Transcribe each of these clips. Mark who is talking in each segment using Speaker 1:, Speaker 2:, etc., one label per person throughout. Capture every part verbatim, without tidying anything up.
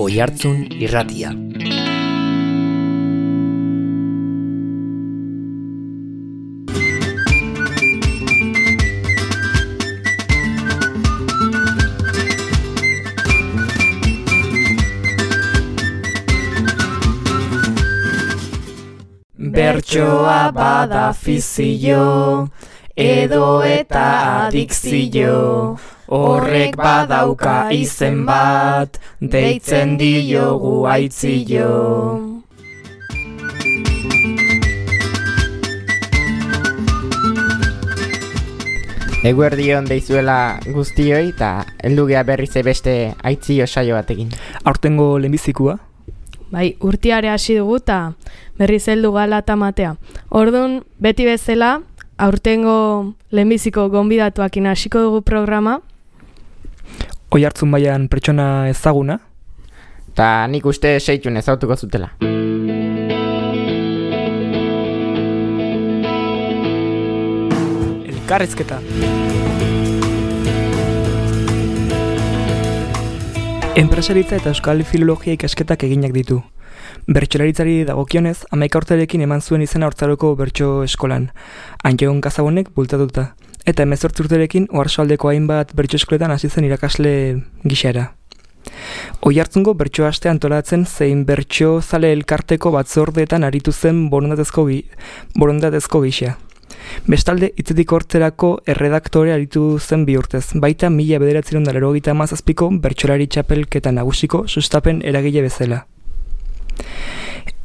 Speaker 1: Oihartzun Irratia.
Speaker 2: Bertsoa bada fizio, edo eta adikzio, horrek badauka izen bat, deitzen diogu aitzio.
Speaker 3: Eguerdion deizuela guztioi eta heldugea berriz beste aitzio saio batekin.
Speaker 4: Aurtengo lehenbizikua?
Speaker 5: Bai, urtiare hasi dugu eta berriz heldu gala eta matea. Orduan, beti bezala, aurtengo lehenbiziko gonbidatuakin hasiko dugu programa.
Speaker 4: Oihartzun baian pertsona ezaguna?
Speaker 3: Ta nik uste seitun ezautuko zutela.
Speaker 4: Elkarrizketa. Enpresaritza eta euskal filologia ikasketak eginak ditu. Bertsolaritzari dagokionez, hamaika urterekin eman zuen izena Haurtzaroko bertso eskolan, Antxon Kazabonek bultatuta. Eta hemezortzi urterekin Oarsoaldeko hainbat bertso eskoletan hasi zen irakasle gixara. Oihartzungo bertso aste antolatzen zein bertso zale elkarteko batzordeetan aritu zen borondatezko, gi, borondatezko gisa. Bestalde, hitzetik hortzerako erredaktore aritu zen bi urtez, baita mila bederatziehun eta laurogeita hamazazpiko bertsolari txapelketa nagusiko sustapen eragile bezala.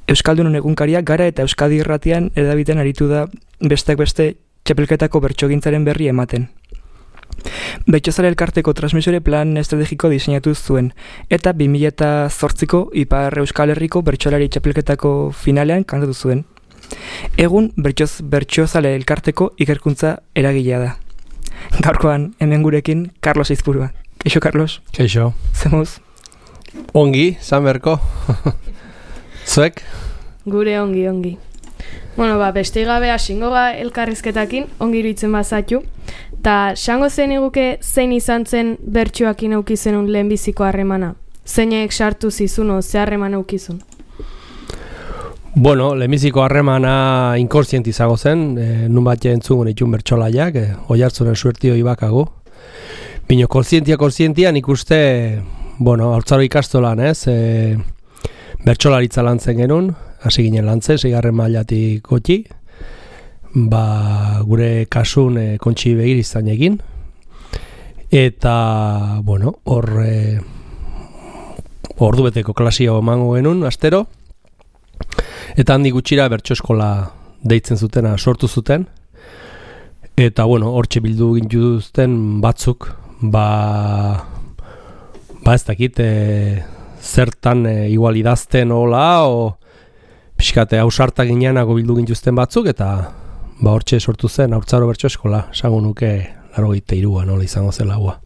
Speaker 4: Euskaldunon egunkaria Gara eta Euskadi Irratian edabiten aritu da besteak beste txapelketako bertsogintzaren berri ematen. Bertsozale elkarteko transmisore plan estrategiko diseinatu zuen, eta bi mila zortziko Ipar Euskal Herriko bertsolari txapelketako finalean kantatu zuen. Egun bertsoz bertsozale elkarteko ikerkuntza eragilea da. Gaurkoan hemen gurekin Carlos Izpurua. Keixo, Carlos?
Speaker 6: Keixo.
Speaker 4: Zemuz?
Speaker 6: Ongi, zanberko. Zuek?
Speaker 5: Gure ongi, ongi. Bueno, ba, beste gabe hasingoga elkarrizketakin, ongi iruditzen bazatu. Ta, xango zen iguke zein izan zen bertsuakin aukizenun lehenbiziko harremana? Zeinek sartu zizuno, ze harreman aukizun?
Speaker 6: Bueno, lehenbiziko harremana inkorsienti izago zen, e, nun bat jentzun itun bertsolaiak, e, Oihartzunen suertio ibakago. Bino, konsientia, konsientia, nik uste, bueno, Haurtzaro ikastolan, ez, e, bertsolaritza lantzen genuen, hasi ginen lantzen, seigarren mailatik goti, ba, gure kasun e, kontxi begir izan egin, eta, bueno, hor, e, ordu beteko klasio emango genuen, astero, eta handi gutxira bertso eskola deitzen zutena sortu zuten, eta, bueno, hortxe bildu gintuzten batzuk, ba, ba ez dakit, e, zertan e, igual idazten hola, o pixkate hausartak gineanago bildu gintuzten batzuk, eta ba hortxe sortu zen Haurtzaro bertso eskola, esango nuke laurogeita hiruan nola izango zela hua.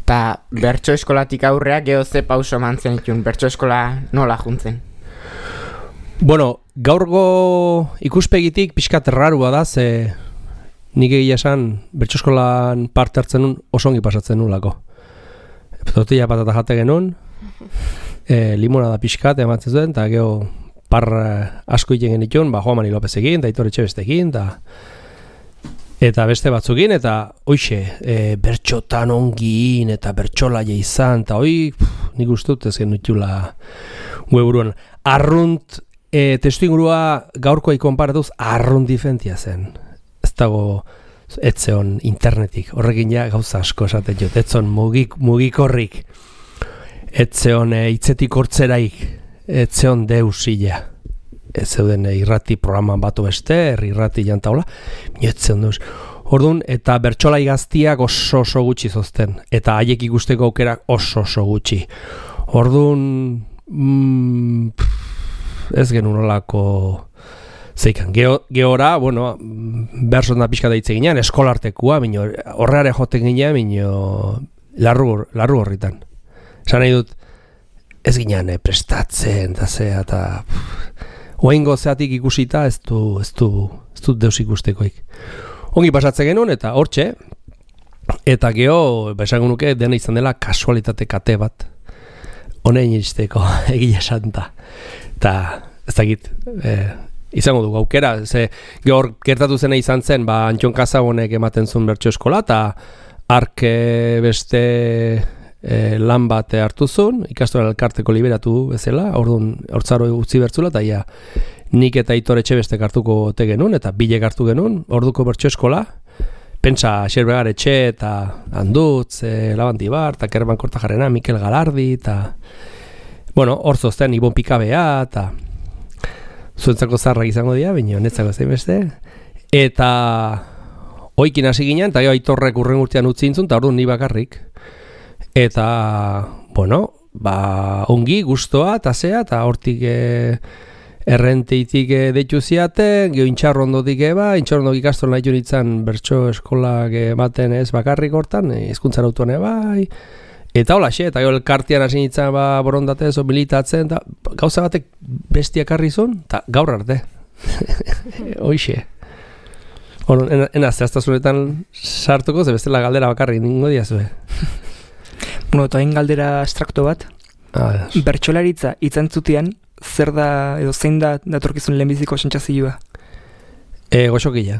Speaker 3: Ta bertso eskolatik aurrea geho ze pauso mantzen itun, bertso eskola nola juntzen?
Speaker 6: Bueno, gaurgo ikuspegitik pixkat rarua da, ze nik egia esan bertso eskolan parte hartzen nun osongi pasatzen nulako. Tortilla patata jate genuen, e, limonada pixkat ematzen zuen, eta geho par asko iten genitun, ba, Juan Mari Lopezekin, eta Aitor Etxebestekin, eta eta beste batzukin, eta hoixe, e, bertxotan ongiin, eta bertxolaia izan, eta hoi, nik ustut ez genitula gueburuan. Arrunt, e, testu ingurua gaurkoa ikonparatuz, arrunt difentia zen. Ez dago etzeon internetik, horrekin ja gauza asko esaten jot, etzon mugik, mugikorrik, etzeon e, hitzetik hortzeraik, etzeon deusila, ez zeuden e, irrati programan batu beste, irrati jantaula, etzeon deus. Orduan, eta bertsolai gaztiak oso oso gutxi zozten, eta haiek ikusteko aukerak oso oso gutxi. Orduan, mm, ez genuen olako zeikan, gehora, bueno, berson da pixka daitze ginean, eskolartekua, bino, horreare joten ginean, bino, larru, larru horritan. Esan nahi dut, ez ginean eh, prestatzen, eta zea, eta oaingo zeatik ikusita, ez du, ez du, ez du deus ikustekoik. Ongi pasatzen genuen, eta hortxe, eta geho, esango nuke, dena izan dela kasualitate kate bat. honein iristeko egia santa. Eta ez dakit, eh, izango dugu aukera, ze gaur gertatu zena izan zen, ba, Antxon Kazabonek ematen zuen bertso eskola, eta ark beste e, lan bat hartu zuen, ikastola elkarteko liberatu bezala, orduan hortzaro utzi bertzula, eta ja, nik eta Aitor Etxebestek hartuko te genuen, eta bilek hartu genuen, orduko bertso eskola, pentsa Xerbegar Etxe, eta Andutz, e, Labanti Bar, eta Kerban Kortajarrena, Mikel Galardi, eta bueno, hor zozten, Ibon Pikabea, eta zuentzako zarrak izango dira, baina netzako zein beste, eta oikin hasi ginen, eta jo Aitorrek urren urtean utzi intzun, eta orduan ni bakarrik, eta, bueno, ba, ongi, gustoa, eta zea, eta hortik e, errenteitik e, deitu ziaten, geho intxarrondotik eba, intxarrondok ikastol nahi junitzen bertso eskolak ematen ez bakarrik hortan, hezkuntzan autoan bai, eta hola xe, eta jo elkartian hasi nintzen ba, borondatez, o militatzen, eta gauza batek bestiak harri zuen, eta gaur arte. Hoixe. Bueno, en, ena zehaztasunetan sartuko, ze bestela galdera bakarrik ningo diazue.
Speaker 4: Bueno, eta hain galdera abstrakto bat,
Speaker 6: Ah,
Speaker 4: bertsolaritza itzantzutian, zer da, edo zein da datorkizun lehenbiziko sentsazioa?
Speaker 6: e, goxokila.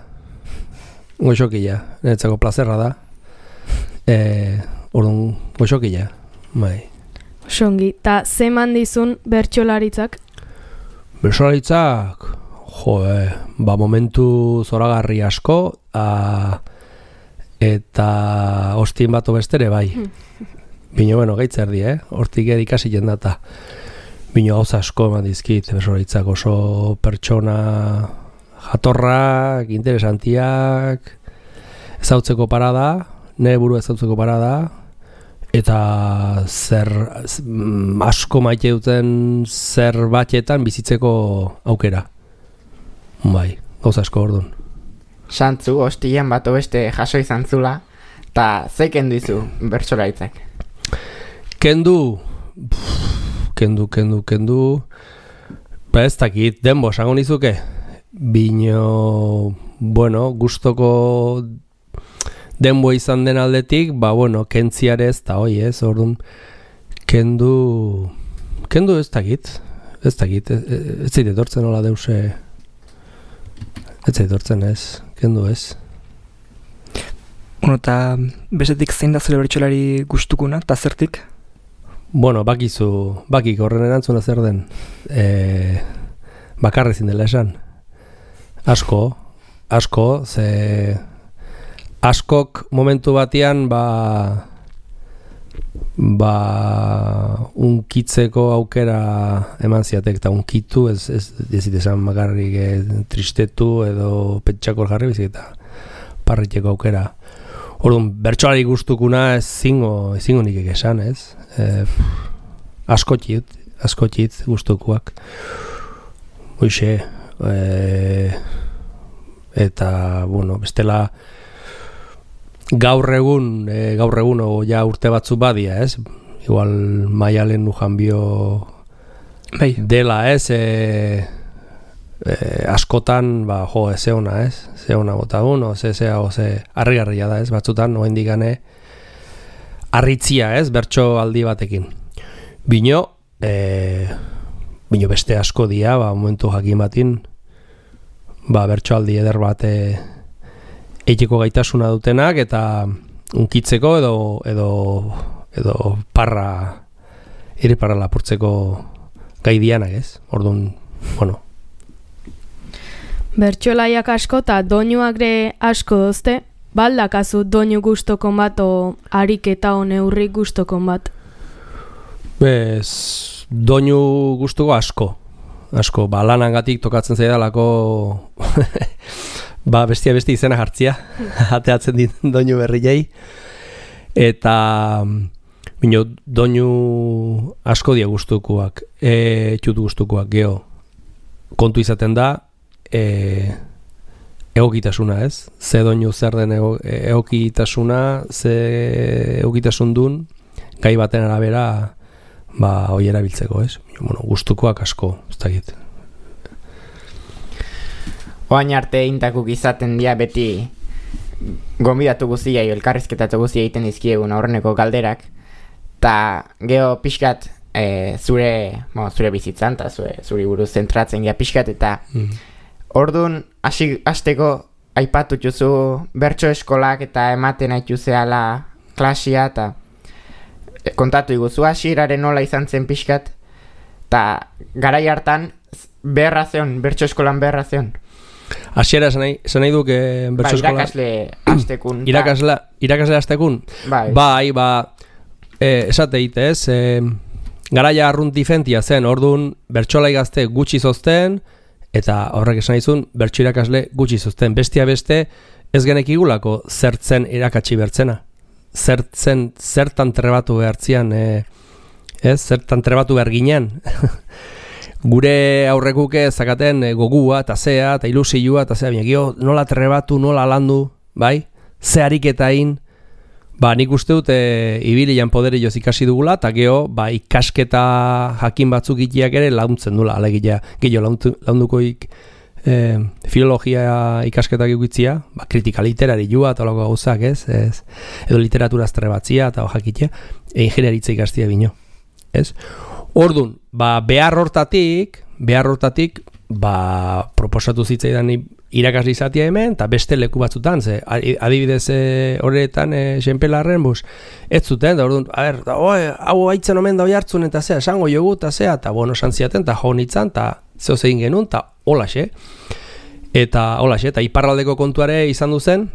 Speaker 6: Goxokila. Niretzako plazerra da. E, orduan, goxokila. Bai.
Speaker 5: Songi, eta zeman dizun bertsolaritzak?
Speaker 6: Bertsolaritzak, jo, eh, ba, momentu zoragarri asko, a, eta ostien bato bestere, bai. Bino, bueno, gaitz erdi, eh? Hortik edikasi jendata. Bino, gauza asko eman dizkit, bertsolaritzak oso pertsona jatorrak, interesantiak, ezautzeko parada, nire buru ezautzeko parada, eta zer asko maite duten zer batetan bizitzeko aukera. Bai, gauza asko orduan.
Speaker 3: Santzu, hostian bat beste jaso izan zula, eta zeiken dizu bertsolaritzak?
Speaker 6: Kendu, pff, kendu, kendu, kendu, ba ez dakit, denbo, esango nizuke, bino, bueno, gustoko denbo izan den aldetik, ba, bueno, kentziarez, eta hoi ez, orduan, kendu, kendu ez dakit, ez dakit, ez, ez zait etortzen hola deuse, ez zait etortzen ez, kendu ez.
Speaker 4: Bueno, eta bestetik zein da zure bertsolari gustukuna, eta zertik?
Speaker 6: Bueno, bakizu, bakik horren erantzuna zer den, e, bakarri zindela esan. Asko, asko, ze askok momentu batean ba, ba unkitzeko aukera eman ziatek, eta unkitu, ez, ez dezit esan bakarrik e, tristetu edo pentsakor jarri bizik eta parriteko aukera. Orduan, bertsolari gustukuna ez zingo, ez zingo nik esan, ez? E, askotxit, askotxit gustukuak. Hoixe, e, eta, bueno, bestela gaur egun, e, gaur egun o ja urte batzu badia, ez? Igual Maialen Lujanbio
Speaker 4: Bai.
Speaker 6: dela, ez? E, e, askotan, ba, jo, ez zeona, ez? Zeona bota uno, ze zea, ze harrigarria da, ez? Batzutan, oen digane, arritzia, ez? Bertso aldi batekin. Bino, e, bino beste asko dia, ba, momentu jakin batin, ba, bertso aldi eder bat e, eiteko gaitasuna dutenak, eta unkitzeko edo, edo, edo parra, iriparra lapurtzeko gai dianak, ez? Orduan, bueno,
Speaker 5: Bertsolaiak asko eta doinuak ere asko dozte, baldakazu doinu gustokon bat o ariketa o neurri gustokon bat?
Speaker 6: bez, doinu gustuko asko, asko, ba, lanangatik tokatzen zaidalako ba, bestia besti izena jartzia, ateatzen dit doinu berriei, eta bino, doinu asko dia gustukoak, e, txut gustukoak, geho, kontu izaten da, E, egokitasuna, ez? Ze doinu zer den ego, egokitasuna, ze egokitasun dun, gai baten arabera, ba, hoi erabiltzeko, ez? Bueno, gustukoak asko, ez dakit.
Speaker 3: Oain arte intakuk izaten dia beti gonbidatu guztiai, elkarrizketatu guztia egiten dizkiegun aurreneko galderak, eta geho pixkat e, zure, bueno, zure bizitzan, eta zure, zure buruz zentratzen gira pixkat, eta mm. Orduan, hasi hasteko aipatu juzu bertso eskolak eta ematen haitu zehala klasia, eta kontatu iguzu hasieraren nola izan zen pixkat, eta garai hartan beharra zeon, bertso eskolan beharra zeon.
Speaker 6: Hasiera esan nahi, esan nahi duk eh, bertso eskola...
Speaker 3: Ba, irakasle hastekun.
Speaker 6: Irakasle, irakasle hastekun?
Speaker 3: Bai.
Speaker 6: Bai, ba, eh, esate ite ez, eh, garaia arrunt difentia zen, orduan bertsolai gazte gutxi zozten, eta horrek esan izun, bertso irakasle gutxi zozten. Bestia beste, ez genekigulako zertzen irakatsi bertzena. Zertzen, zertan trebatu behartzian, eh, ez, zertan trebatu behar ginen. Gure aurrekuke zakaten gogua, eta zea, eta ilusioa, eta zea, binekio, nola trebatu, nola landu, bai? Ze ariketain, ba, nik uste dut e, ibilian poderioz ikasi dugula, eta geho, ba, ikasketa jakin batzuk itiak ere launtzen dula, alegia, gehiago laundukoik e, filologia ikasketak ikutzia, ba, kritika literari joa, eta lako gauzak, ez? ez? Edo literaturaz trebatzia, eta jakitea, e, ingenieritza ikastia bino, ez? Ordun, ba, behar hortatik, behar hortatik, ba, proposatu zitzaidan irakasle izatea hemen, eta beste leku batzutan, ze, adibidez horretan, e, xenpelarren, bus, ez zuten, da, orduan, a ber, da, oe, hau haitzen omen da oihartzun, eta zea, esango jogu, eta zea, eta, bueno, santziaten, eta jo nitzan, eta zeo zegin genuen, eta holaxe, eta holaxe, eta iparraldeko kontuare izan duzen,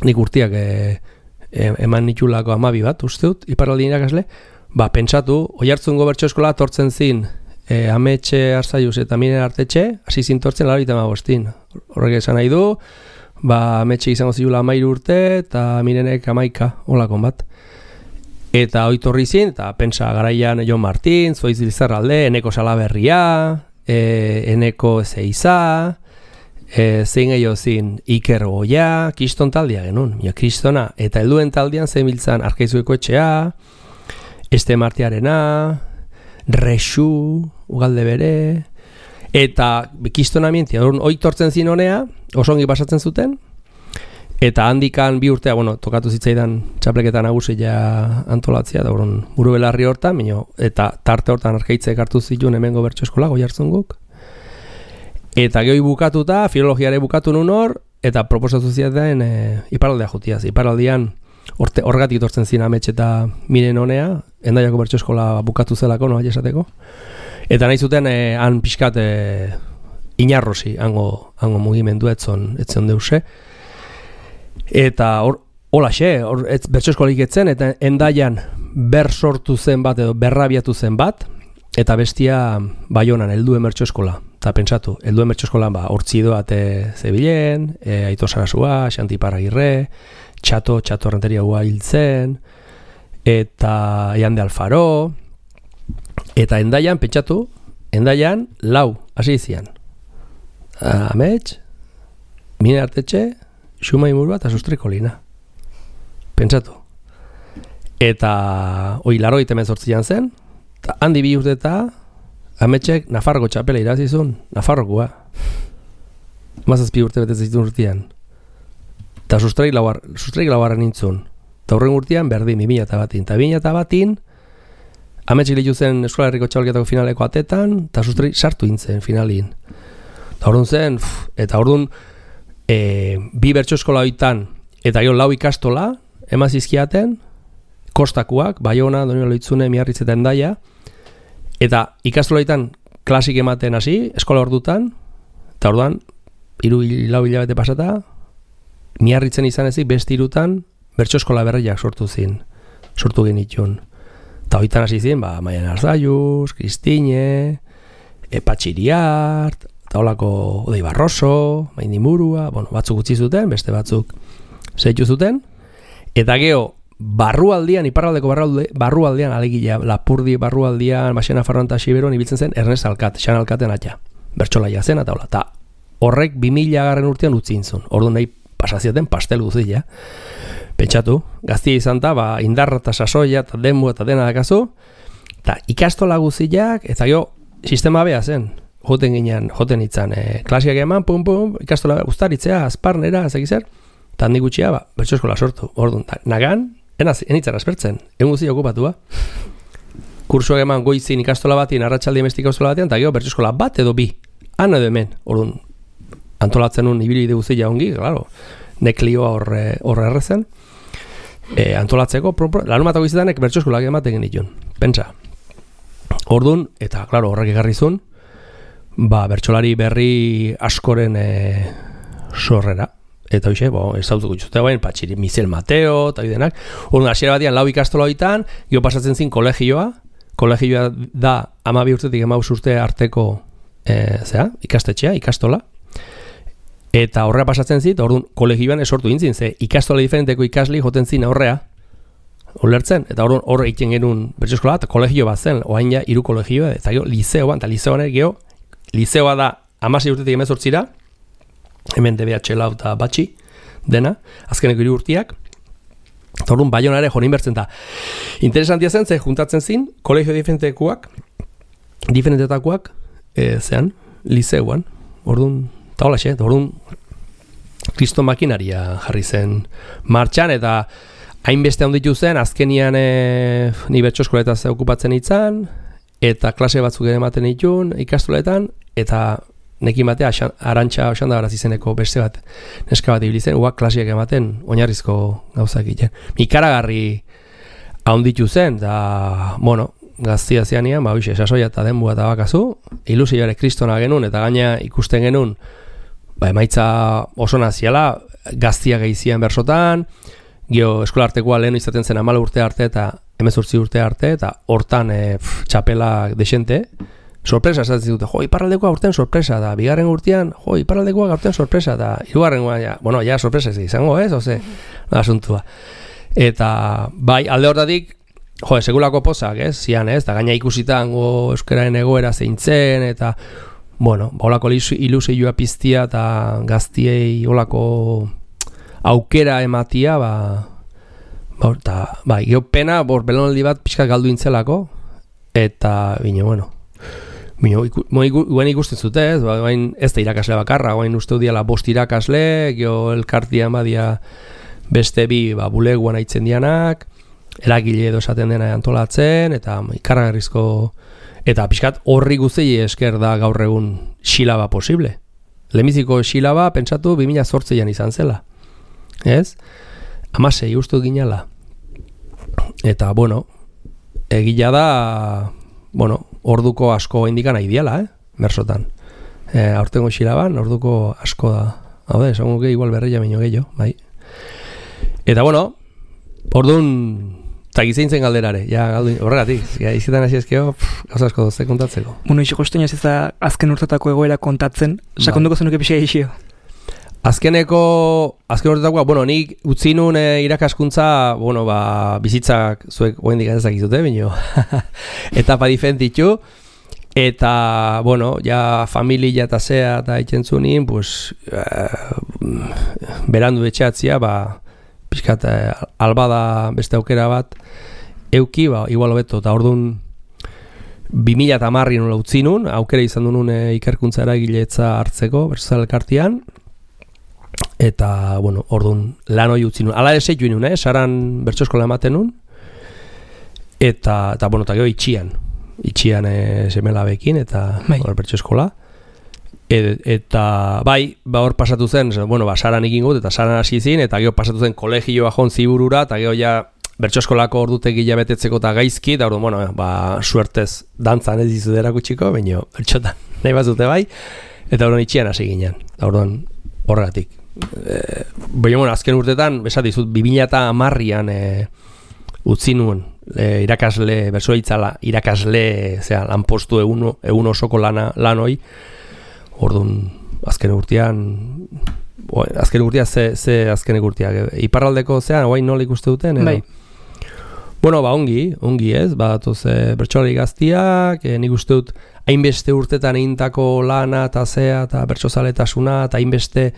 Speaker 6: nik urtiak e, e, eman nitulako amabi bat, usteut, iparraldi irakasle, ba, pentsatu, oihartzungo bertso eskola tortzen zin, e, ametxe arzaiuz eta minen artetxe, hasi zin tortzen laro itama bostin. Horrek esan nahi du, ba, ametxe izango zilula amairu urte, eta minenek amaika, holakon bat. Eta oitorri zin, eta pentsa garaian Jon Martin, Zoiz Lizarralde, Eneko Salaberria, e, Eneko Zeiza, e, zein gehiago zin Iker Goia, Kriston taldia genuen, ja, Kristona, eta helduen taldian zein biltzan Arkaizueko etxea, Este Martiarena, Rexu, Ugalde bere, eta Kristona mientia, oitortzen zin honea, oso ongi pasatzen zuten, eta handikan bi urtea, bueno, tokatu zitzaidan txapleketan nagusia antolatzea, da horren buru belarri hortan, mino, eta tarte hortan arkaitzek hartu zituen hemengo bertso eskola, Goiartzunguk. Eta gehi bukatuta, filologiare bukatu nun hor, eta proposatu ziaten e, iparaldea jutiaz, iparaldian, Horte, horregatik tortzen zin ametxe eta miren honea, Endaiako bertso eskola bukatu zelako, no, esateko. Eta nahi zuten, eh, han pixkat eh, inarrosi, hango, hango mugimendu etzon, etzon deuse. Eta hor, hola xe, hor, bertso eskolik etzen, eta Endaian ber sortu zen bat, edo berrabiatu zen bat, eta bestia Baionan, helduen bertso eskola. Eta pentsatu, helduen bertso eskola, ba, hortzidoat zebilen, e, Aito Sarasua, Xanti Paragirre, Txato, Txato Renteria hua hiltzen, eta Iande Alfaro, eta Endaian, pentsatu, Endaian, lau, hasi izian. Amets, Mine Artetxe, Xuma Imurua eta Sustriko Lina. Pentsatu. Eta, oi, laro itemen zortzian zen, eta handi bi urte eta Ametxek Nafarroko txapela irazizun, Nafarrokoa. Mazazpi urte betez urtean. Eta sustraik lauar, sustraik lauarren nintzun. Eta horren urtean berdin, bi mila eta batin. Eta bi mila eta batin, ametxik lehiu zen Eskola Herriko Txabalketako finaleko atetan, eta sustraik sartu intzen finalin. Eta orduan zen, pff, eta orduan e, bi bertso eskola hoitan, eta gero lau ikastola, emazizkiaten, kostakuak, Baiona, Donio Loitzune, Miarritz eta Endaia, eta ikastola hoitan klasik ematen hasi, eskola ordutan, eta orduan, hiru lau hilabete pasata, Miarritzen izan ezik beste hirutan bertso eskola berriak sortu zin, sortu genitun. Eta hoitan hasi zin, ba, Maian Arzaiuz, Kristine, Epatxiriart, eta holako Odei Barroso, Maindimurua, bueno, batzuk utzi zuten, beste batzuk zeitu zuten, eta geho, barrualdian, iparraldeko barrualde, barrualdian, alegia, Lapurdi barrualdian, Baxena Farroan eta Xiberon ibiltzen zen Ernest Alkat, Xan Alkaten atxa, bertsolaia zen, eta hola, eta horrek bi mila garren urtean utzi intzun, orduan nahi pasaziaten pastel guztia. Pentsatu, gaztia izan da, ba, indarra eta sasoia eta denbu eta dena dakazu, eta ikastola guztiak, eta gero, sistema bea zen, joten ginen, joten itzan, e, klasiak eman, pum, pum, ikastola ustaritzea, azparnera, ez egizer, eta handi gutxia, ba, bertso eskola sortu, orduan, nagan, enaz, enitzan aspertzen, egun guztia okupatua. kursuak eman goizin ikastola batean, arratsaldean beste ikastola batean, eta gero bertso eskola bat edo bi. Han edo hemen, orduan, antolatzen nun ibilbide guztia ongi, claro, neklioa horre, horre errezen. E, antolatzeko, lanumatako izetanek bertso eskolak ematen genitun, pentsa. Orduan, eta, claro, horrek egarrizun, ba, bertsolari berri askoren e, sorrera. Eta hoxe, bo, ez zautuko txutea bain, patxiri, Mizel Mateo, eta bidenak. Orduan, hasiera batian, lau ikastola hoitan, gero pasatzen zin kolegioa. Kolegioa da, amabi urtetik emaus urte arteko, e, zera, ikastetxea, ikastola. Eta horrea pasatzen zit, orduan, kolegioan esortu intzin, ze ikastola diferenteko ikasli joten zin aurrea, ulertzen, eta orduan horre egiten genuen bertso eskola, eta kolegio bat zen, oain ja, hiru kolegioa, eta gero, lizeoan, eta lizeoan gero, lizeoa da, amasei urtetik emezortzira, hemen D B H lau eta batxi dena, azkeneko hiru urtiak, eta orduan Baiona ere joan inbertzen da. Interesantia zen, ze juntatzen zin, kolegio diferentekuak, diferentetakoak, e, zean, liseuan, orduan, eta hola xe, orduan, kriston makinaria jarri zen martxan, eta hainbeste handitu zen, azkenian e, ni bertso eskoletaz okupatzen itzan, eta klase batzuk ere ematen ditun, ikastoletan, eta nekin batea, Arantxa Osandabaraz izeneko beste bat, neska bat ibili zen, uak klasiak ematen, oinarrizko gauzak egiten. Ikaragarri handitu zen, da, bueno, gaztia zeanian, ba, hoxe, sasoia eta denbua eta bakazu, ilusioare kristona genuen, eta gaina ikusten genuen, ba, emaitza oso naziala, gaztia gehizian bersotan, gero eskolartekoa lehen izaten zen amala urte arte eta hemezortzi urte arte, eta hortan e, pff, txapela desente, sorpresa esatzen dute, jo, iparraldekoa urtean sorpresa da, bigarren urtean, jo, iparraldekoa urtean sorpresa da, hirugarren urtean, ja, bueno, ja sorpresa ez izango, ez, oze, da asuntua. Eta, bai, alde hortatik, jo, segulako pozak, ez, zian, ez, da gaina ikusitango euskararen egoera zeintzen, eta, bueno, holako ilusioa piztia eta gaztiei holako aukera ematia, ba, ba, eta, bai, geopena, bor, belonaldi bat pixka galdu intzelako, eta, bine, bueno, Bino, iku, iku, guen ikusten zute, ez, ba, ez da irakasle bakarra, guen uste diala bost irakasle, gio elkartian badia beste bi ba, buleguan aitzen dianak, eragile edo esaten dena antolatzen, eta ikarragarrizko, eta pixkat horri guzei esker da gaur egun xilaba posible. Lehenbiziko xilaba, pentsatu, bi mila zortzian izan zela. Ez? Hamasei ustu ginala. Eta, bueno, egila da, bueno, orduko asko indikan nahi diala, eh? Bersotan. E, aurtengo xilaban, orduko asko da. Hau da, esan guke igual berreia baino gehiago, bai. Eta, bueno, orduan, eta gizeintzen galderare, ja, galdu, horregatik, ja, izitan hasi ezkeo, gauza asko dozte kontatzeko.
Speaker 4: Bueno, ixo kostu ez da azken urtetako egoera kontatzen, sakonduko zenuke pixea isio.
Speaker 6: Azkeneko, azken urtetakoa, bueno, nik utzi nun e, irakaskuntza, bueno, ba, bizitzak zuek oendik ez dakizute, bino, etapa diferentitu, eta, bueno, ja familia eta zea eta itxentzunin, pues, e, berandu etxeatzia, ba, pixkat, e, albada beste aukera bat, euki, ba, igual hobeto, eta orduan, bi mila eta marri nola utzi nun, aukera izan du nun e, ikerkuntza eragiletza hartzeko, bertsozal elkartian, eta, bueno, orduan lan hori utzi nun. Ala ere zeitu inun, eh? Saran bertso eskola ematen nun. Eta, eta bueno, eta gero itxian. Itxian e, semelabekin, eta bai. Hor bertso eskola. E, eta, bai, ba hor pasatu zen, bueno, ba, Saran ikin gut, eta Saran hasi zin, eta gero pasatu zen kolegioa jon ziburura, eta gero ja bertso eskolako ordutegi jabetetzeko eta gaizki, eta orduan, bueno, ba, suertez dantzan ez dizu derakutxiko, baina bertxotan nahi bazute bai, eta orduan itxian hasi ginen, eta orduan horregatik. E, Baina, bueno, azken urtetan, esat dizut, bi mila eta hamarrian e, utzi nuen e, irakasle, bersoa itzala, irakasle, zera, lanpostu egun, egun osoko lana, lan hoi, orduan, azken urtean, o, azken urtean, ze, ze azken urtean, iparraldeko, zera, guain nola ikuste duten, edo? Bai. Bueno, ba, ongi, ongi ez, badatoz e, bertsolari gaztiak, e, nik uste dut, hainbeste urtetan egintako lana, eta zea, eta bertsozaletasuna, eta hainbeste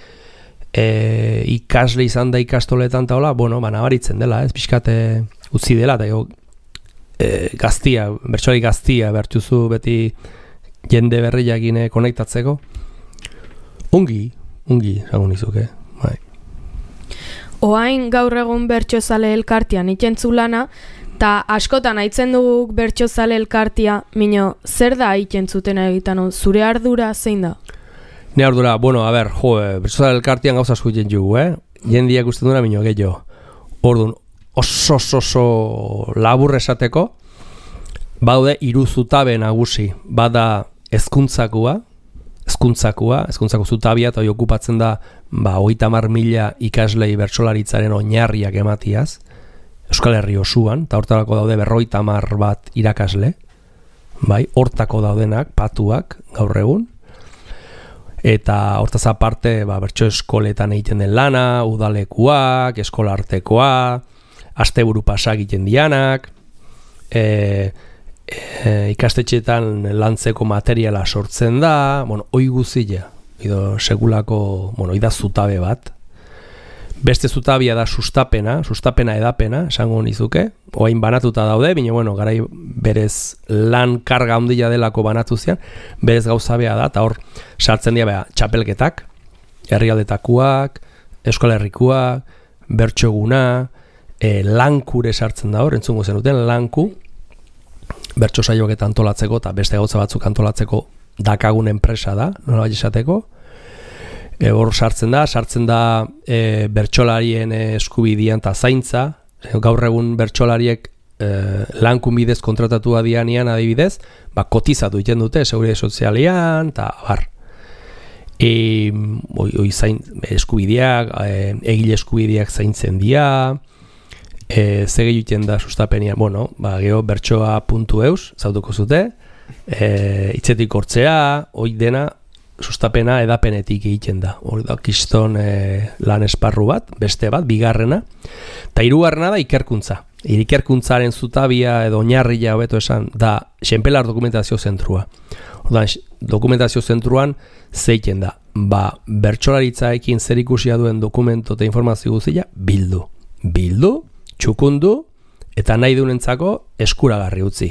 Speaker 6: E, ikasle izan da ikastoletan eta hola, bueno, ba, nabaritzen dela, ez, pixkate utzi dela, eta jo, e, gaztia, bertsolari gaztia bertuzu beti jende berriakine konektatzeko. Ongi, ongi, zagun izuke, bai.
Speaker 5: Oain gaur egun bertsozale elkartian itentzu lana, Ta askotan aitzen dugu bertsozale elkartia, mino, zer da egiten zuten egiten, zure ardura zein da?
Speaker 6: Ne ardura, bueno, a ber, jo, bertsozale elkartian gauza asko egiten jugu, eh? Jendia ikusten duna, mino, gehiago. Orduan, oso oso oso labur esateko, baude hiru zutabe nagusi, bada hezkuntzakua, hezkuntzakua, hezkuntzako zutabia eta hori okupatzen da, ba, hogeita hamar mila ikaslei bertsolaritzaren oinarriak ematiaz, Euskal Herri osuan, eta hortarako daude berrogeita hamar bat irakasle, bai, hortako daudenak, patuak, gaur egun, eta hortaz aparte, ba, bertso eskoletan egiten den lana, udalekuak, eskolartekoa, asteburu pasa egiten dianak, e, e, ikastetxeetan lantzeko materiala sortzen da, bueno, oi guzia, edo segulako, bueno, ida zutabe bat. Beste zutabia da sustapena, sustapena edapena, esango nizuke, oain banatuta daude, bine, bueno, garai berez lan karga handia delako banatu zian, berez gauzabea da, eta hor sartzen dira bea, txapelketak, herrialdetakuak, Euskal Herrikuak, bertsoguna, e, lankure sartzen da hor, entzungo zenuten, lanku, bertso saioak antolatzeko, eta beste gauza batzuk antolatzeko dakagun enpresa da, nola bai esateko, E, hor sartzen da, sartzen da e, bertsolarien eskubidean eta zaintza, gaur egun bertsolariek e, lankun bidez kontratatua dianean adibidez, ba, kotizatu egiten dute, seguridade sozialean, eta bar. E, oi, oi zain, eskubideak, e, egile eskubideak zaintzen dira, e, zege egiten da sustapenian, bueno, ba, geho bertsoa puntu eus, zautuko zute, e, itzetik hortzea, hoi dena, sustapena edapenetik egiten da. Hor da, kiston e, lan esparru bat, beste bat, bigarrena. Eta hirugarrena da ikerkuntza. Ikerkuntzaren zutabia edo oinarria hobeto esan da Xenpelar dokumentazio zentrua. Ordan, dokumentazio zentruan zeiten da. Ba, bertsolaritzaekin zer ikusia duen dokumento eta informazio guztia bildu. Bildu, txukundu, eta nahi duenentzako eskuragarri utzi.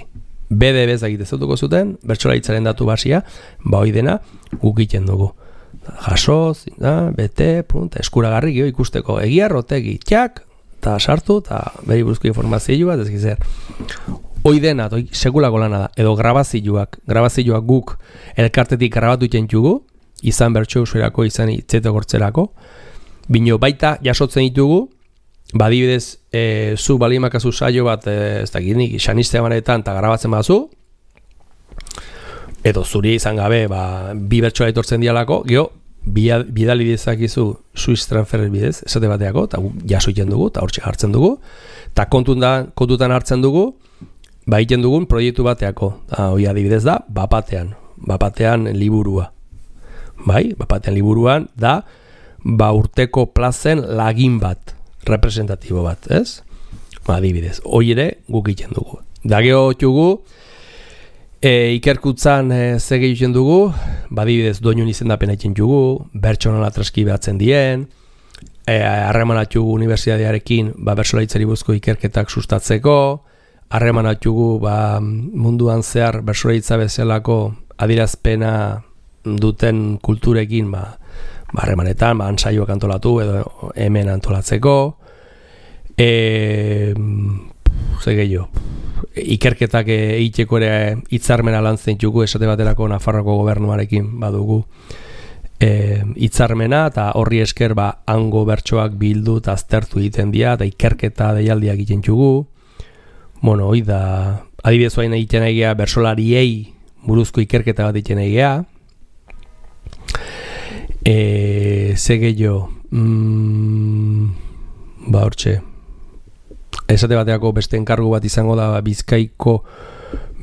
Speaker 6: B D B egite zautuko zuten, bertsolaritzaren datu basia, ba hoi dena guk egiten dugu. Jaso, da, bete, prunta, eskuragarri gio ikusteko egia rotegi, txak, eta sartu, eta beri buruzko informazioa, ez gizer. Hoi dena, toi, sekulako lana da, edo grabazioak, grabazioak guk elkartetik grabatu egiten jugu, izan bertso usuerako, izan itzetek hortzerako, bino baita jasotzen ditugu, badibidez, e, zu balimakazu saio bat, e, ez da ginik, xaniste emanetan eta grabatzen bazu, edo zuri izan gabe, ba, bi bertsoa etortzen dialako, geho, bidali dezakizu Swiss transfer bidez, esate bateako, eta jaso egiten dugu, eta hortxe hartzen dugu, eta kontutan hartzen dugu, ba egiten dugun proiektu bateako, eta hori adibidez da, bapatean, bapatean liburua. Bai, bapatean liburuan da, ba urteko plazen lagin bat, representatibo bat, ez? Ba, adibidez, hori ere guk egiten dugu. Da geho txugu, e, ikerkutzan e, zege egiten dugu, ba, adibidez, doinun izendapena egiten dugu, bertsonola transkibatzen dien, harremanatugu e, unibertsitatearekin ba, bertsolaritzari buruzko ikerketak sustatzeko, harremanatugu ba, munduan zehar bertsolaritza bezalako adierazpena duten kulturekin, ba, harremanetan, ba, ansaioak antolatu edo hemen antolatzeko, e, ze gehiago, ikerketak egiteko ere hitzarmena lan zeintzugu, esate baterako Nafarroko gobernuarekin badugu e, hitzarmena, eta horri esker ba, hango bertsoak bildu eta aztertu egiten dira, eta ikerketa deialdiak egiten txugu. Bueno, hoi da, adibidez hain egiten egea bertsolariei buruzko ikerketa bat egiten egea. E, ze gehiago, mm, ba hortxe, esate bateako beste enkargu bat izango da Bizkaiko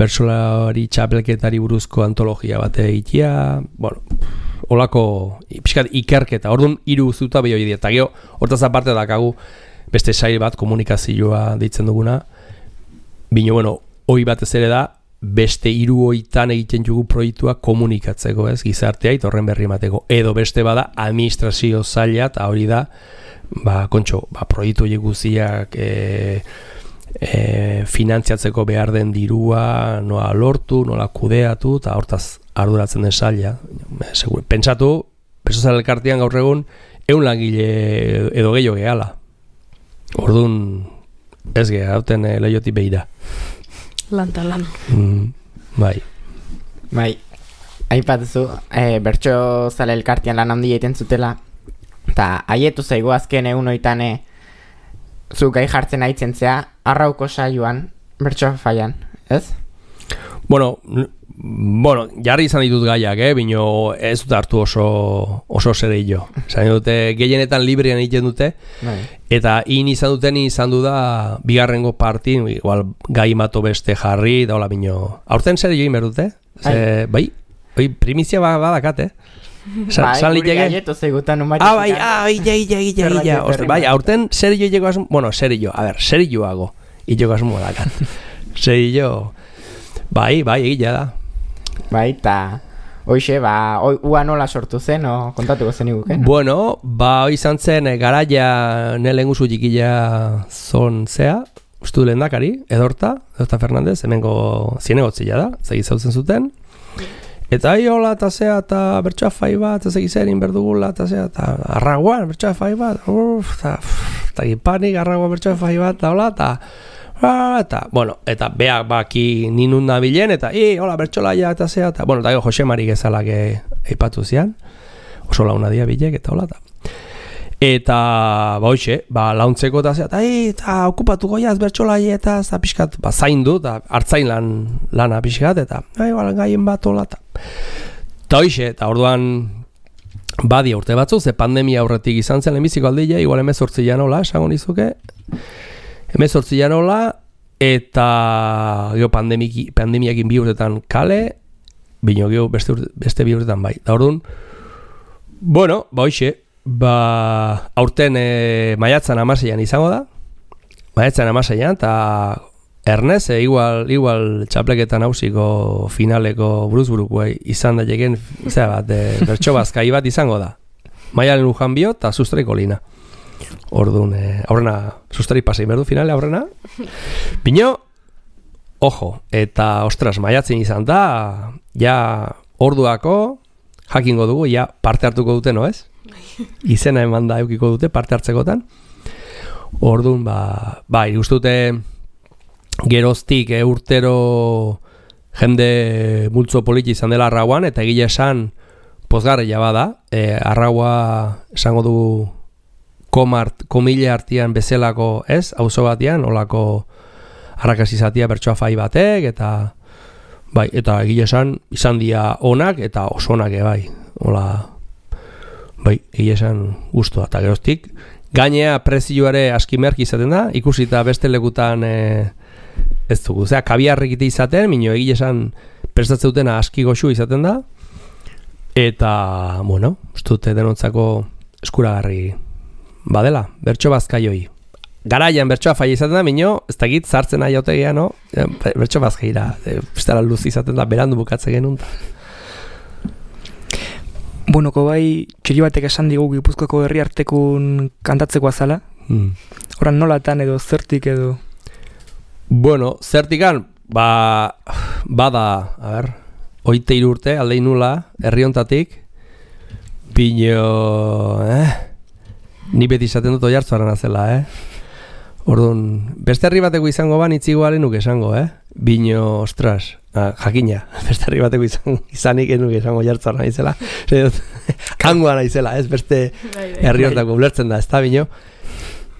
Speaker 6: bertsolari txapelketari buruzko antologia bat egitea, bueno, holako pixkat ikerketa, orduan hiru zutabe hori dira, eta gero, hortaz aparte dakagu beste sail bat komunikazioa deitzen duguna, bino, bueno, hori batez ere da, beste hiru hoitan egiten dugu proiektua komunikatzeko, ez, gizartea eta horren berri emateko, edo beste bada administrazio zaila, eta hori da, ba, kontxo, ba, proiektu horiek guztiak e, e, finantziatzeko behar den dirua, nola lortu, nola kudeatu, eta hortaz arduratzen den zaila. Pentsatu, Bertsozale elkartean gaur egun, ehun langile edo gehiago gehala. Orduan, Ez ge, hauten e, lehioti behira.
Speaker 5: Lanta lan.
Speaker 6: Mm, bai.
Speaker 3: Bai, aipatuzu, e, bertso zale elkartian lan handia egiten zutela, eta haietu zaigu azken egun oitan e, zu gai jartzen aitzen zea, arrauko saioan, bertso faian, ez?
Speaker 6: Bueno, bueno, jarri izan ditut gaiak, eh? Bino ez dut hartu oso, oso zereillo. Zain dute, gehienetan librean egiten dute,
Speaker 3: Bai.
Speaker 6: eta in izan duten izan du da bigarrengo partin, igual gai mato beste jarri, da hola bino. Aurten zer join berdute? Ze, bai, bai, primizia ba, badakat, eh? Sa,
Speaker 3: Bai,
Speaker 6: san
Speaker 3: guri
Speaker 6: liteke-
Speaker 3: gaietu zeigutan un
Speaker 6: Ah, bai, ah, illa, illa, illa,
Speaker 3: Zerbait
Speaker 6: illa. Ostra, bai,
Speaker 3: berri
Speaker 6: aurten serio llego asmo, bueno, serio, a ver, serioago. Illo asmo dakat. Serio. Bai, bai, egia da.
Speaker 3: Bai, eta hoxe, ba, oi, ua nola sortu zen, o kontatuko zen iguken?
Speaker 6: Bueno, ba, hoi izan zen, eh, garaia nele enguzu txikila zon zea, ustu lehendakari, Edorta, Edorta Fernandez, hemengo zinegotzila da, zegi zautzen zuten. Eta hi hola, eta zea, eta bertsoa fai bat, eta zegi zerin berdugula, eta zea, eta arraguan, bertsoa fai bat, uff, eta, eta gipanik, arraguan bertsoa fai bat, eta hola, eta, eta, bueno, eta beak baki ninun nabilen, eta, hi, hola, bertsolaia, eta zea, eta, bueno, eta gero Jose Mari gezalak eipatu zian, oso launa dia bilek, eta hola, eta, eta, ba, hoxe, ba, launtzeko, eta zea, eta, hi, eta, okupatu goiaz bertsolaia, eta, eta, pixkat, ba, zaindu, eta, hartzain lan, lana pixkat, eta, hi, ba, gaien bat, hola, eta, eta hoxe, eta orduan, badi urte batzu, ze pandemia aurretik izan zen lehenbiziko aldia, igual emezortzi janola, esango nizuke, emezortzi janola, eta gero pandemiki, pandemiakin bi urtetan kale, bino gero beste, urte, beste bi urtetan bai. Da orduan, bueno, ba hoxe, ba, aurten e, maiatzan amaseian izango da, maiatzan amaseian, eta Ernez, e, igual, igual txapleketan hausiko finaleko buruzburuko izan daiteken, zera bat, e, bertso bazkai bat izango da. Maialen Lujan bio eta Sustraiko Lina. Orduan, e, aurrena, Sustrai pasei berdu finale aurrena. Bino, ojo, eta ostras, maiatzen izan da, ja orduako jakingo dugu, ja parte hartuko dute, no ez? Izena eman da eukiko dute parte hartzekotan. Orduan, ba, bai, guztute geroztik e, urtero jende multzo politi izan dela arrauan, eta egile esan pozgarria bada, e, arraua esango du komart, komile artian bezalako, ez, auzo batean, olako arrakasizatia bertsoa fai batek, eta bai, eta egile esan izan dia onak, eta oso onak bai, hola, bai, egile esan guztua, eta geroztik, gainea prezioare aski merki izaten da, ikusita beste lekutan e, ez dugu, zera, kabiarrekite izaten, minio egile esan prestatzen dutena aski goxu izaten da, eta, bueno, ustute denontzako eskuragarri badela, bertso bazkaioi. Garaian bertsoa fai izaten da, minio, ez dakit zartzen nahi autegia, no? Bertso bazkaira, pistara luz izaten da, berandu bukatze genuen.
Speaker 4: Buenoko bai, txiri batek esan digu Gipuzkoako herri artekun kantatzeko azala.
Speaker 6: Hmm.
Speaker 4: Horan nolatan edo zertik edo...
Speaker 6: Bueno, zertikan, ba, bada, a ber, oite irurte, aldein nula, herri hontatik, pino, eh, ni beti izaten dut oiartzuaren azela, eh? Orduan, beste herri bateko izango ban itzigo nuke esango, eh? Bino, ostras, ah, jakina, beste herri bateko izan, izanik enuke esango oiartzuaren izela, kangoan izela, ez beste herri hontako ulertzen da, ez da, bino?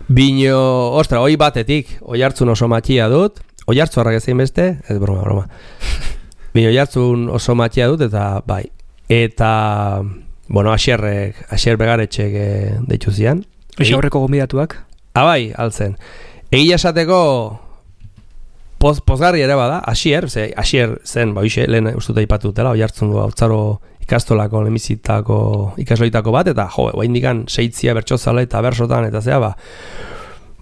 Speaker 6: Bino, ostra, hoi batetik, oi hartzun oso matxia dut, oi hartzuarrak ezein beste, ez broma, broma. Bino, oi hartzun oso matxia dut, eta bai, eta, bueno, asierrek, asier begaretxek e, deitu zian.
Speaker 4: Eixo aurreko gomidatuak.
Speaker 6: Ah, bai, altzen. Egia esateko, poz, pozgarri ere bada, asier, ze, asier zen, ba, hoxe, lehen ustuta ipatu dutela, oi hartzun du, hautzaro ikastolako, lemizitako, ikasloitako bat, eta jo, guain dikan seitzia bertxozala eta bersotan, eta zea, ba,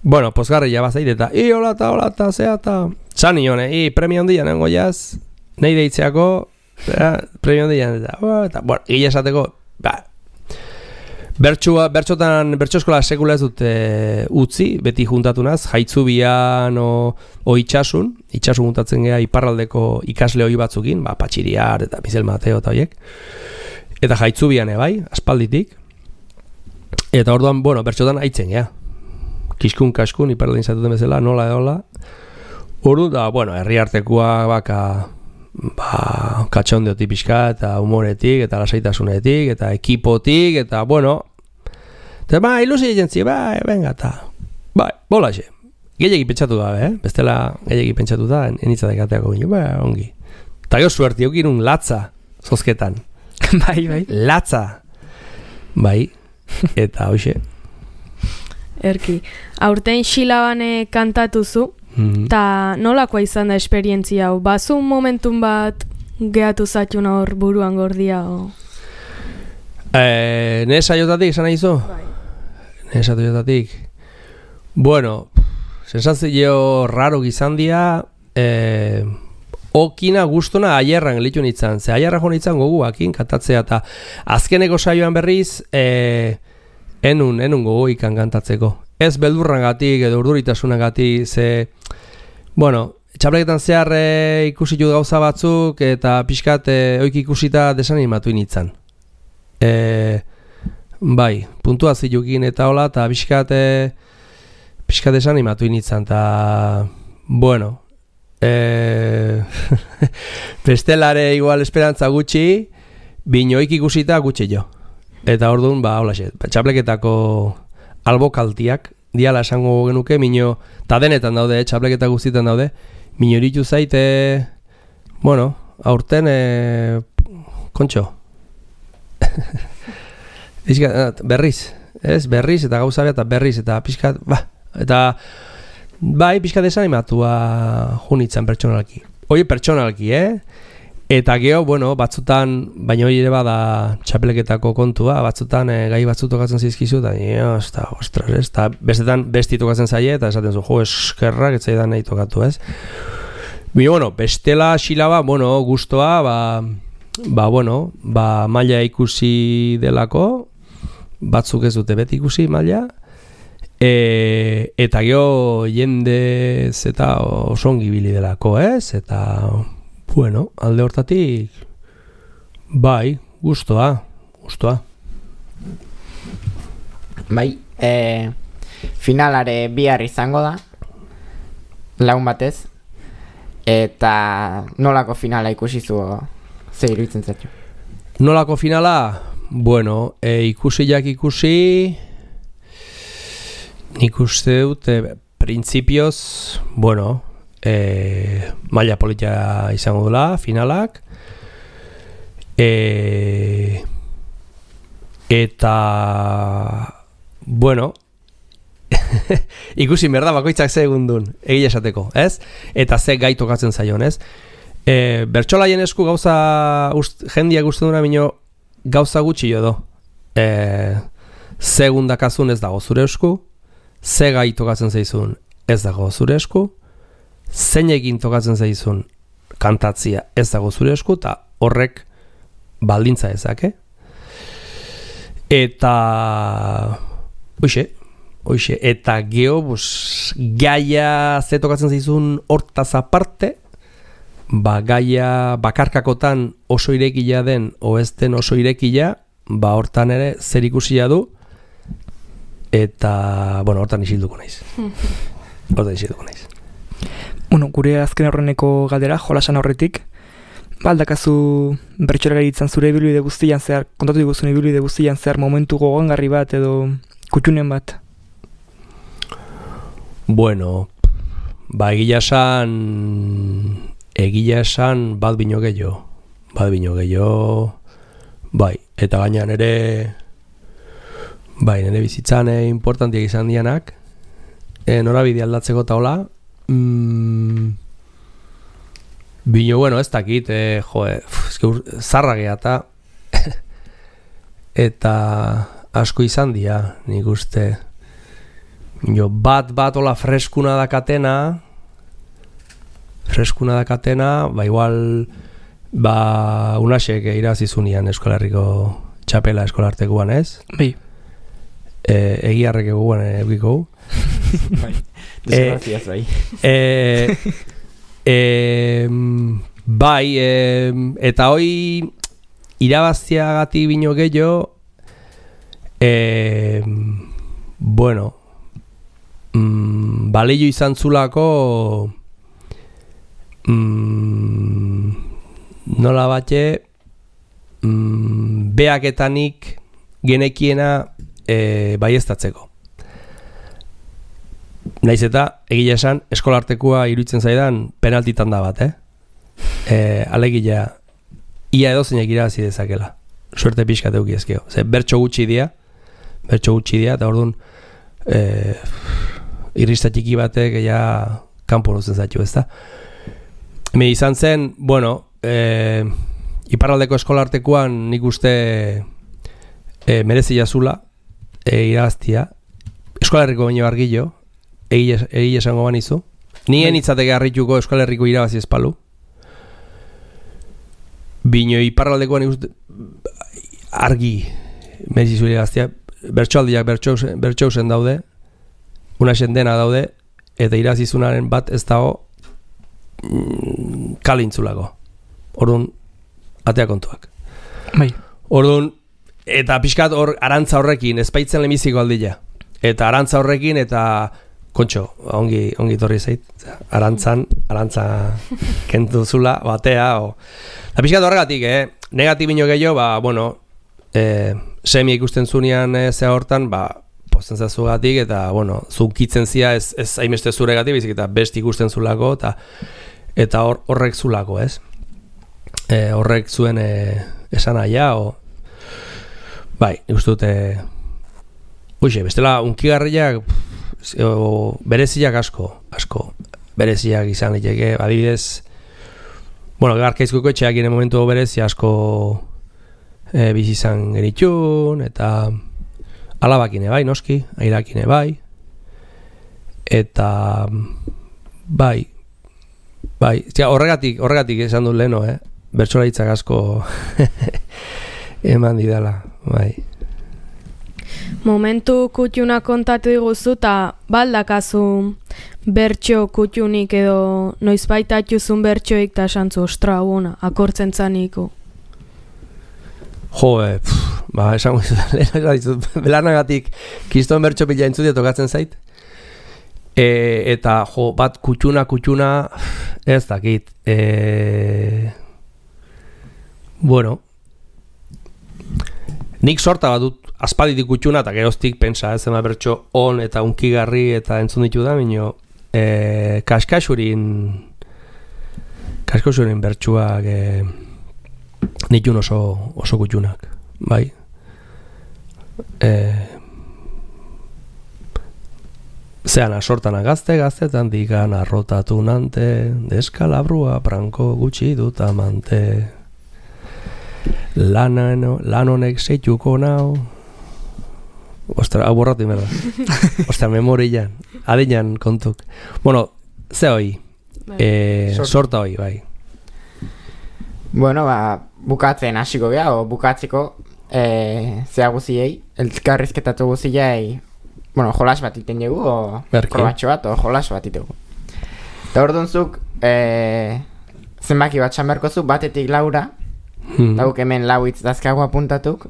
Speaker 6: bueno, pozgarri jabazait, eta i, hola, eta, hola, eta, zea, eta, zan nion, i, premio handian, nengo jaz, nahi deitzeako, zera, premio handian, eta, oh, eta, bueno, gila esateko, ba, bertxua, bertxotan, bertxoskola sekula ez dut e, utzi, beti juntatunaz, jaitzubian o, o itxasun, itxasun juntatzen geha iparraldeko ikasle hoi batzukin, ba, Patxiriar eta Mizel Mateo eta horiek, eta jaitzubian ebai, aspalditik, eta orduan, bueno, bertxotan haitzen geha, kiskun kaskun, iparaldin zatuten bezala, nola edola. Ordu da, bueno, herri artekoa baka, ba, katxondeotik pixka, eta humoretik, eta lasaitasunetik, eta ekipotik, eta, bueno, eta, ba, ilusi jentzi, ba, venga, eta, ba, bolaxe. Gehiagi pentsatu da, eh? Bestela gehiagi pentsatu da, enitzatek ateako gino, ba, ongi. Eta gero suerti, eukirun latza, zozketan.
Speaker 4: Bai, bai.
Speaker 6: Latza. Bai, eta hoxe.
Speaker 5: Erki, aurten xilabane kantatuzu, eta nolakoa izan da esperientzia hau? Bazu momentun bat gehatu zatxun hor buruan gordia? O...
Speaker 6: E, Nire saiotatik, esan nahi zo?
Speaker 5: Bai.
Speaker 6: Nire saiotatik. Bueno, sensazio raro gizan dia, e, okina guztona aierran gelitu nintzen. Ze aierra jo nintzen goguakin kantatzea, eta azkeneko saioan berriz, e, enun, enun gogoikan kantatzeko. Ez beldurrangatik edo urduritasunagatik, ze, bueno, txapleketan zehar e, ikusitu gauza batzuk eta pixkat e, oik ikusita desanimatu initzan. E, bai, puntua zilukin eta hola, eta pixkat, e, pixkat desanimatu initzan, eta, bueno, e, bestelare igual esperantza gutxi, bino oik ikusita gutxi jo. Eta orduan, ba, hola xe, txapleketako albokaltiak, diala esango genuke, mino, eta denetan daude, txapleketa guztietan daude, mino iritu zaite, bueno, aurten, e, kontxo. berriz, ez, berriz, eta gauza eta berriz, eta pixkat, ba, eta, bai, pixkat desanimatua junitzen pertsonalki. Hoi pertsonalki, eh? Eta geho, bueno, batzutan, baina hori ere bada txapeleketako kontua, batzutan e, gai batzu tokatzen zizkizu, eta ez da, ostras, ez, eta bestetan besti tokatzen zaie, eta esaten zu, jo, eskerrak, ez zaidan nahi tokatu, ez. Bino, bueno, bestela xilaba, bueno, gustoa, ba, ba, bueno, ba, maila ikusi delako, batzuk ez dute beti ikusi maila, e, eta geho jendez eta osongi bili delako, ez, eta... Bueno, alde hortatik, bai, gustoa, gustoa.
Speaker 3: Bai, e, finalare bihar izango da, laun batez, eta nolako finala ikusi zu, ze iruditzen zaitu?
Speaker 6: Nolako finala? Bueno, e, ikusi jak ikusi, nik uste dute, printzipioz, bueno, E, maila politia izango dula, finalak, e, eta, bueno, ikusi merda bakoitzak ze egundun, egia esateko, ez? Eta ze gai tokatzen zaion, ez? E, bertsolaien esku gauza, ust, jendia guztien duna bino, gauza gutxi jo do. E, segundakazun ez dago zure esku, ze gai tokatzen zaizun ez dago zure esku, zein egin tokatzen zaizun kantatzia ez dago zure esku, eta horrek baldintza ezake. Eta oixe, oixe, eta geho, bus, gaia ze tokatzen zaizun hortaz aparte, ba, gaia bakarkakotan oso irekila den, o ez den oso irekila, ba, hortan ere zer ikusia du, eta, bueno, hortan isilduko naiz. Hortan isilduko naiz.
Speaker 4: Bueno, gure azken aurreneko galdera, jolasan aurretik, baldakazu bertsolari izan zure ibilbide guztian zehar, kontatu diguzun ibilbide guztian zehar momentu gogoangarri bat edo kutxunen bat?
Speaker 6: Bueno, ba egia esan, egia esan bat bino gehiago, bat bino gehiago, bai, eta gainean ere, bai, nire bizitzan importantiak izan dianak, e, norabide aldatzeko taola, Mm, bino, bueno, ez dakit, eh, jo, eh, zarra geha eta eta asko izan dira, nik uste. Bino, bat bat ola freskuna dakatena, freskuna dakatena, ba igual, ba unasek irazizunian Euskal Herriko txapela eskolartekoan, ez?
Speaker 4: Bai.
Speaker 6: E, egiarrek eguan egiko.
Speaker 3: Bai. Desgracias, bai.
Speaker 6: E, e, bai, e, eta hoi irabaztiagatik bino gehiago, e, bueno, mm, balio izan zulako mm, nola bate mm, beaketanik genekiena e, baieztatzeko. Naiz eta, egia esan, eskolartekoa iruditzen zaidan penaltitan da bat, eh? E, alegia, ia edozeinak irabazi dezakela. Suerte pixka teuki ezkeo. Ze, bertso gutxi dia, bertso gutxi dia, eta orduan, e, irrista txiki batek, ja, kanpo luzen zaitu, ezta? Me izan zen, bueno, e, iparraldeko eskolartekoan nik uste e, merezia zula, e, irabaztia, eskolarriko baino argillo, egi esango banizu. Nien itzateke harrituko Euskal Herriko irabazi espalu. Bino iparraldekoan ikuste argi merezi zure irabaztia. Bertsoaldiak bertxousen daude, unaxen dena daude, eta irazizunaren bat ez dago mm, kalintzulako. Orduan, atea kontuak.
Speaker 4: Bai.
Speaker 6: Orduan, eta pixkat hor arantza horrekin, ezpaitzen lemiziko aldila. Eta arantza horrekin, eta kontxo, ongi, ongi torri zait, arantzan, arantza kentu zula, batea, o... Eta pixkat horregatik, eh? Negatibino gehiago, ba, bueno, eh, semi ikusten zunean eh, zea hortan, ba, posten zazugatik, eta, bueno, zunkitzen zia ez, ez haimeste zuregatik, bizik, eta best ikusten zulako, eta eta hor, horrek zulako, ez? E, horrek zuen e, esan aia, o... Bai, ikustu dute... Uxe, bestela, unkigarriak... O, bereziak asko, asko, bereziak izan liteke, adibidez, bueno, Garkaizkuko etxeak ere momentu berezi asko e, bizi izan genitxun, eta alabakine bai, noski, airakine bai, eta bai, bai, zia, horregatik, horregatik esan dut leheno, eh? Bertsolaritzak asko eman didala, bai.
Speaker 5: Momentu kutxuna kontatu diguzu eta baldakazu bertxo kutxunik edo noizbait atxuzun bertxoik eta esantzu, ostra, bona, akortzen zaniko.
Speaker 6: Jo, e, pff, ba, esango izut, belarnagatik kiston bertxo pila entzutia tokatzen zait. E, eta, jo, bat kutxuna, kutxuna, ez dakit. E, bueno, nik sorta bat dut aspalditik kutxuna, eta geroztik pensa, ez ema bertxo on eta unkigarri eta entzun ditu da, minio, e, kaskasurin, kaskasurin bertxuak e, nitun oso, oso kutxunak, bai. E, zean asortan agazte, gaztetan digan arrotatu nante, deskalabrua pranko gutxi dut amante. Lan honek zeituko nau. Ostra, hau borratu imerda. Ostra, memorian. Adinan kontuk. Bueno, ze hoi? E, sorta hoi, bai.
Speaker 3: Bueno, ba, bukatzen hasiko geha, o bukatzeko e, zea guziei, elkarrizketatu guziei, bueno, jolas bat iten dugu, o probatxo bat, o jolas bat iten dugu. Eta orduan zuk, e, zenbaki bat xamerko zu, batetik laura, hmm. Dauk hemen lau hitz dazkago apuntatuk,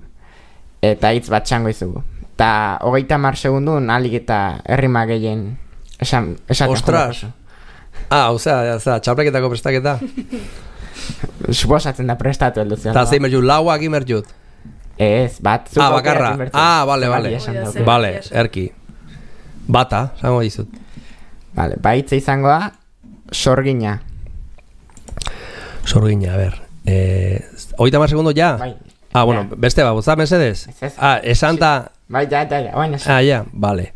Speaker 3: eta hitz bat txango izugu. Eta hogeita mar segundun alik eta errima gehien esan, esaten.
Speaker 6: Ostras! Ah, osea, osea, txapleketako prestaketa.
Speaker 3: Suposatzen da prestatu heldu zion.
Speaker 6: Eta zein merjut, lauak imerjut?
Speaker 3: Ez, bat.
Speaker 6: Ah, bakarra. Ah, bale, bale. Bale, erki. Bata, zango dizut.
Speaker 3: Bale, baitza izango da, sorgina.
Speaker 6: Sorgina, a ber. Eh, hogeita mar segundo ja?
Speaker 3: Bai.
Speaker 6: Ah, bueno, ja. Beste ba, botza, mesedez?
Speaker 3: Ez ez.
Speaker 6: Ah, esan ta...
Speaker 3: Bai, ja, ja, ja, baina.
Speaker 6: Ah, ja, bale.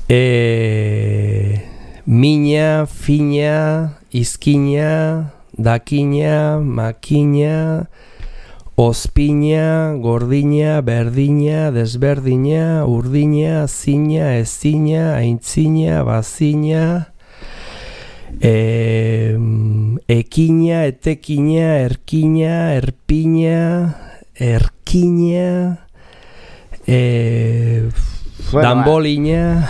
Speaker 6: Eh, mina, fina, izkina, dakina, makina, ospina, gordina, berdina, desberdina, urdina, zina, ezina, aintzina, bazina, eh, ekina, etekina, erkina, erpina, erkina, eh, bueno, dambolina.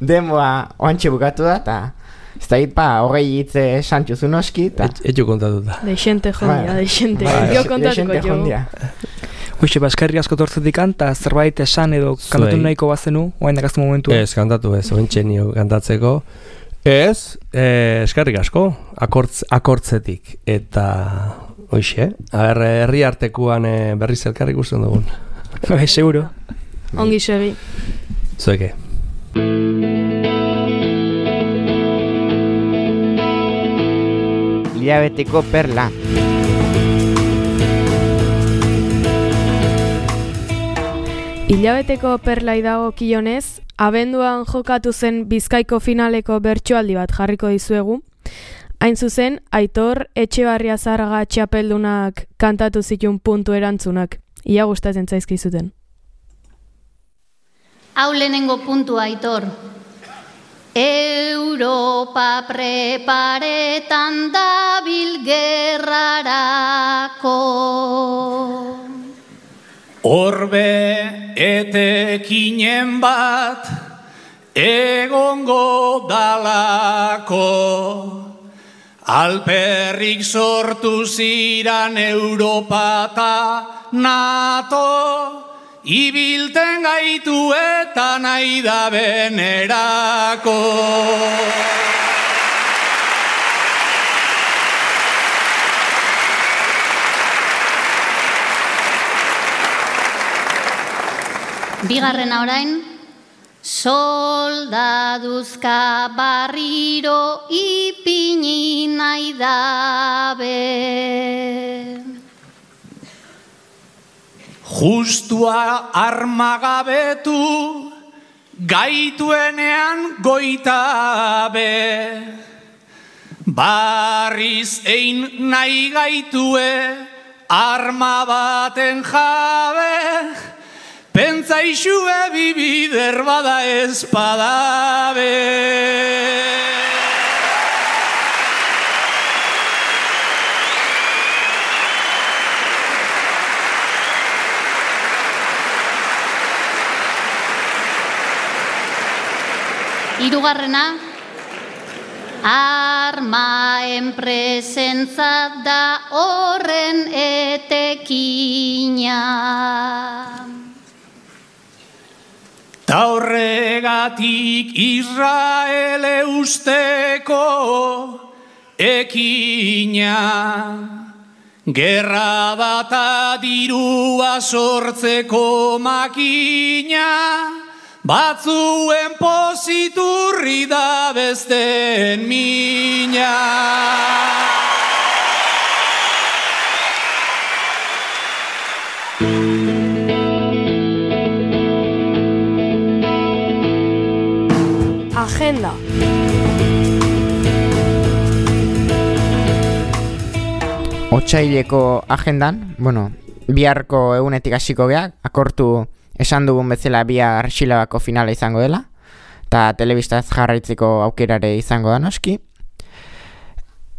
Speaker 3: Demoa oantxe bukatu da, eta ez da hit, pa, hogei hitze santxuzu noski, eta...
Speaker 6: Etxo kontatuta.
Speaker 5: Deixente jondia, deixente. Jo kontatuko jo.
Speaker 4: Hoxe, baskerri asko tortzetikan, eta zerbait esan edo kantatu
Speaker 6: Zuei.
Speaker 4: nahiko bazenu, oain dakaztu momentu.
Speaker 6: Ez, kantatu ez, ointxe nio kantatzeko. Ez, eh, eskerrik asko, akortz, akortzetik. Eta, hoxe, aber, herri artekuan eh, berriz elkarrik ikusten dugun.
Speaker 4: Bai, seguro.
Speaker 5: Ongi segi.
Speaker 6: Zueke.
Speaker 3: Hilabeteko perla.
Speaker 5: Hilabeteko perlai dago kionez, abenduan jokatu zen Bizkaiko finaleko bertsoaldi bat jarriko dizuegu. Hain zuzen, Aitor Etxebarria Zarraga txapeldunak kantatu zituen puntu erantzunak. Ia gustatzen zaizkizuten.
Speaker 1: Hau lehenengo puntua, Aitor. Europa preparetan dabil gerrarako.
Speaker 7: Orbe etekinen bat egongo dalako, alperrik sortu ziran Europa ta NATO, ibilten gaitu eta nahi da benerako.
Speaker 1: Bigarrena orain, soldaduzka barriro ipini nahi dabe.
Speaker 7: Justua armagabetu, gaituenean goitabe. Barriz ein nahi gaitue, arma baten jabe. Pentsaixue bibider bada espadabe.
Speaker 1: Hirugarrena, armaen presentzat da horren etekina.
Speaker 7: Ta horregatik Israele usteko ekina. Gerra data dirua sortzeko makina, batzuen poziturri da besteen mina.
Speaker 5: Agenda.
Speaker 3: Otsaileko agendan, bueno, biharko egunetik hasiko geak, akortu esan dugun bezala bihar Xilabako finala izango dela, eta telebistaz jarraitzeko aukerare izango da noski.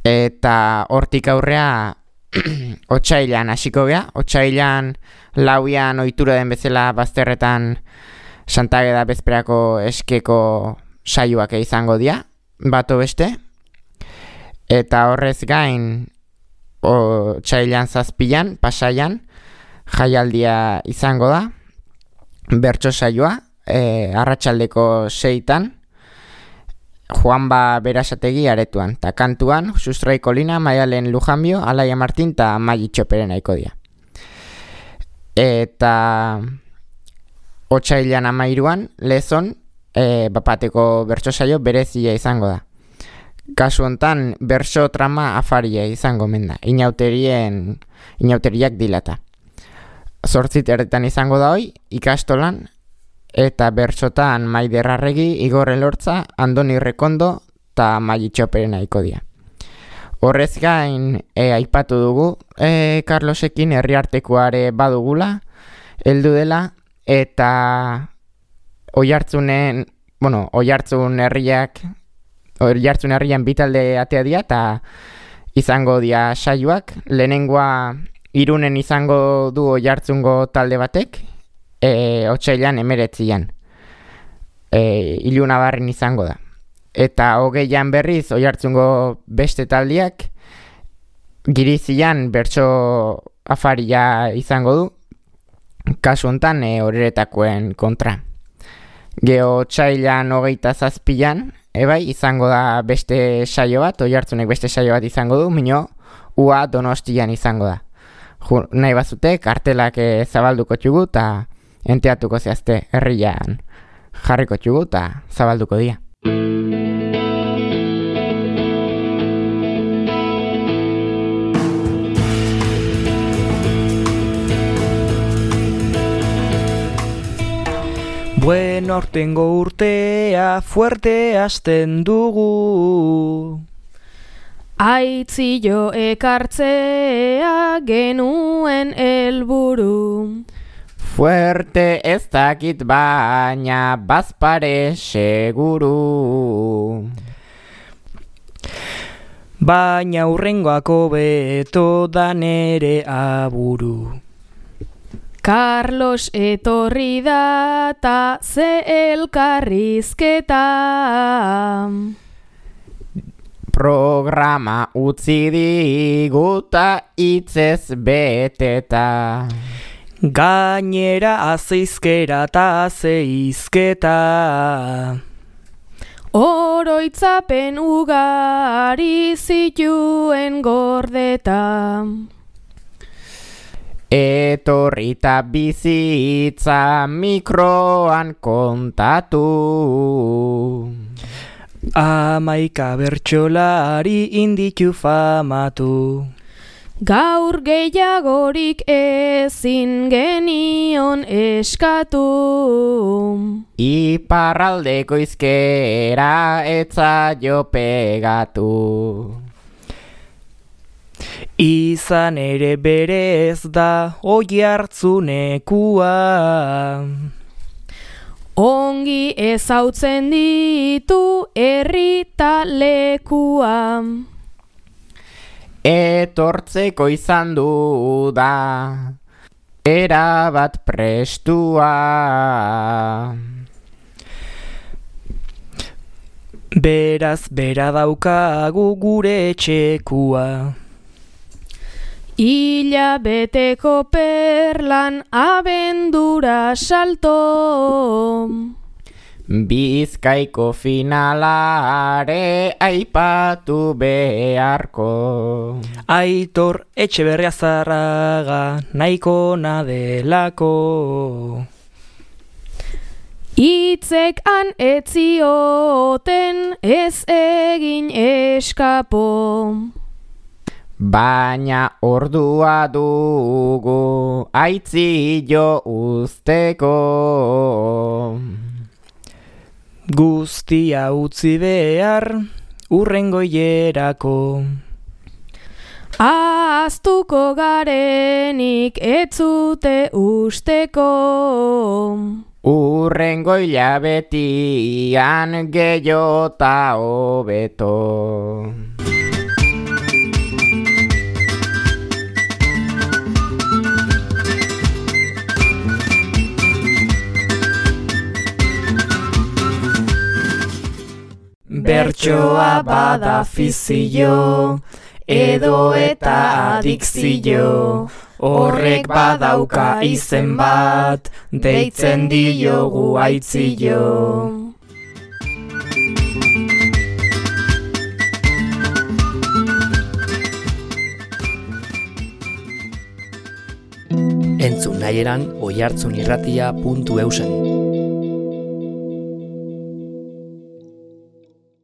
Speaker 3: Eta hortik aurrea otsailan hasiko gea, otsailan lauian ohitura den bezala bazterretan Santageda bezperako eskeko saioak izango dira, bato beste. Eta horrez gain, otsailan zazpilan, pasaian, jaialdia izango da, bertso saioa, e, arratsaldeko seitan, Juanba Berasategi aretuan, eta kantuan, Sustrai Kolina, Maialen Lujanbio, Alaia Martin eta Magi Txoperen aiko dira. Eta otsailan amairuan, Lezon, e, bapateko bertso saio berezia izango da. Kasu hontan, bertso trama afaria izango menda, inauterien, inauteriak dilata. Zortzit erretan izango da hoi, ikastolan, eta bertsotan Maider Arregi, Igor Elortza, Andoni Rekondo eta Magi Txoperen aiko dira. Horrez gain, e, aipatu dugu, e, Carlosekin herriartekoare badugula, heldu dela, eta Oiartzunen, bueno, Oiartzun herriak, Oiartzun herrian bitalde atea dira, eta izango dira saioak, lehenengoa Irunen izango du Oiartzungo talde batek, e, otsailan emeretzian, e, Ilunabarren izango da. Eta hogeian berriz Oiartzungo beste taldeak, Girizian bertso afaria izango du, kasu hontan e, horretakoen kontra. Geo txailan hogeita zazpian, ebai, izango da beste saio bat, Oiartzunek beste saio bat izango du, mino, ua Donostian izango da. Ju, nahi bazute, kartelak e, zabalduko txugu eta enteatuko zehazte herrian jarriko txugu eta zabalduko dia.
Speaker 4: Bueno, aurtengo urtea fuerte hasten dugu.
Speaker 5: Aitzio ekartzea genuen helburu.
Speaker 3: Fuerte ez dakit baina bazpare seguru.
Speaker 4: Baina hurrengoako beto da nere aburu.
Speaker 5: Carlos etorri da ta ze elkarrizketa.
Speaker 3: Programa utzi diguta hitzez beteta.
Speaker 4: Gainera azeizkera ta azeizketa.
Speaker 5: Oroitzapen ugari zituen gordeta.
Speaker 3: Etorrita bizitza mikroan kontatu.
Speaker 4: Amaika bertsolari inditu famatu.
Speaker 5: Gaur gehiagorik ezin genion eskatu.
Speaker 3: Iparraldeko izkera etzaio pegatu.
Speaker 4: Izan ere berez da Oiartzunekua.
Speaker 5: Ongi ezautzen ditu herri ta lekua.
Speaker 3: Etortzeko izan du da erabat prestua.
Speaker 4: Beraz bera daukagu gure etxekua.
Speaker 5: Ila beteko perlan abendura salto.
Speaker 3: Bizkaiko finalare aipatu beharko.
Speaker 4: Aitor Etxeberria Zarraga nahiko nadelako.
Speaker 5: Itzek han etzioten ez egin eskapo.
Speaker 3: Baina ordua dugu aitzio usteko.
Speaker 4: Guztia utzi behar urrengo hilerako.
Speaker 5: Ahaztuko garenik etzute usteko.
Speaker 3: Urrengo hilabetian gehiota hobeto.
Speaker 2: Bertsoa bada fizio, edo eta adikzio, horrek badauka izen bat, deitzen diogu aitzio.
Speaker 8: Entzun nahieran oiartzunirratia puntu eusen.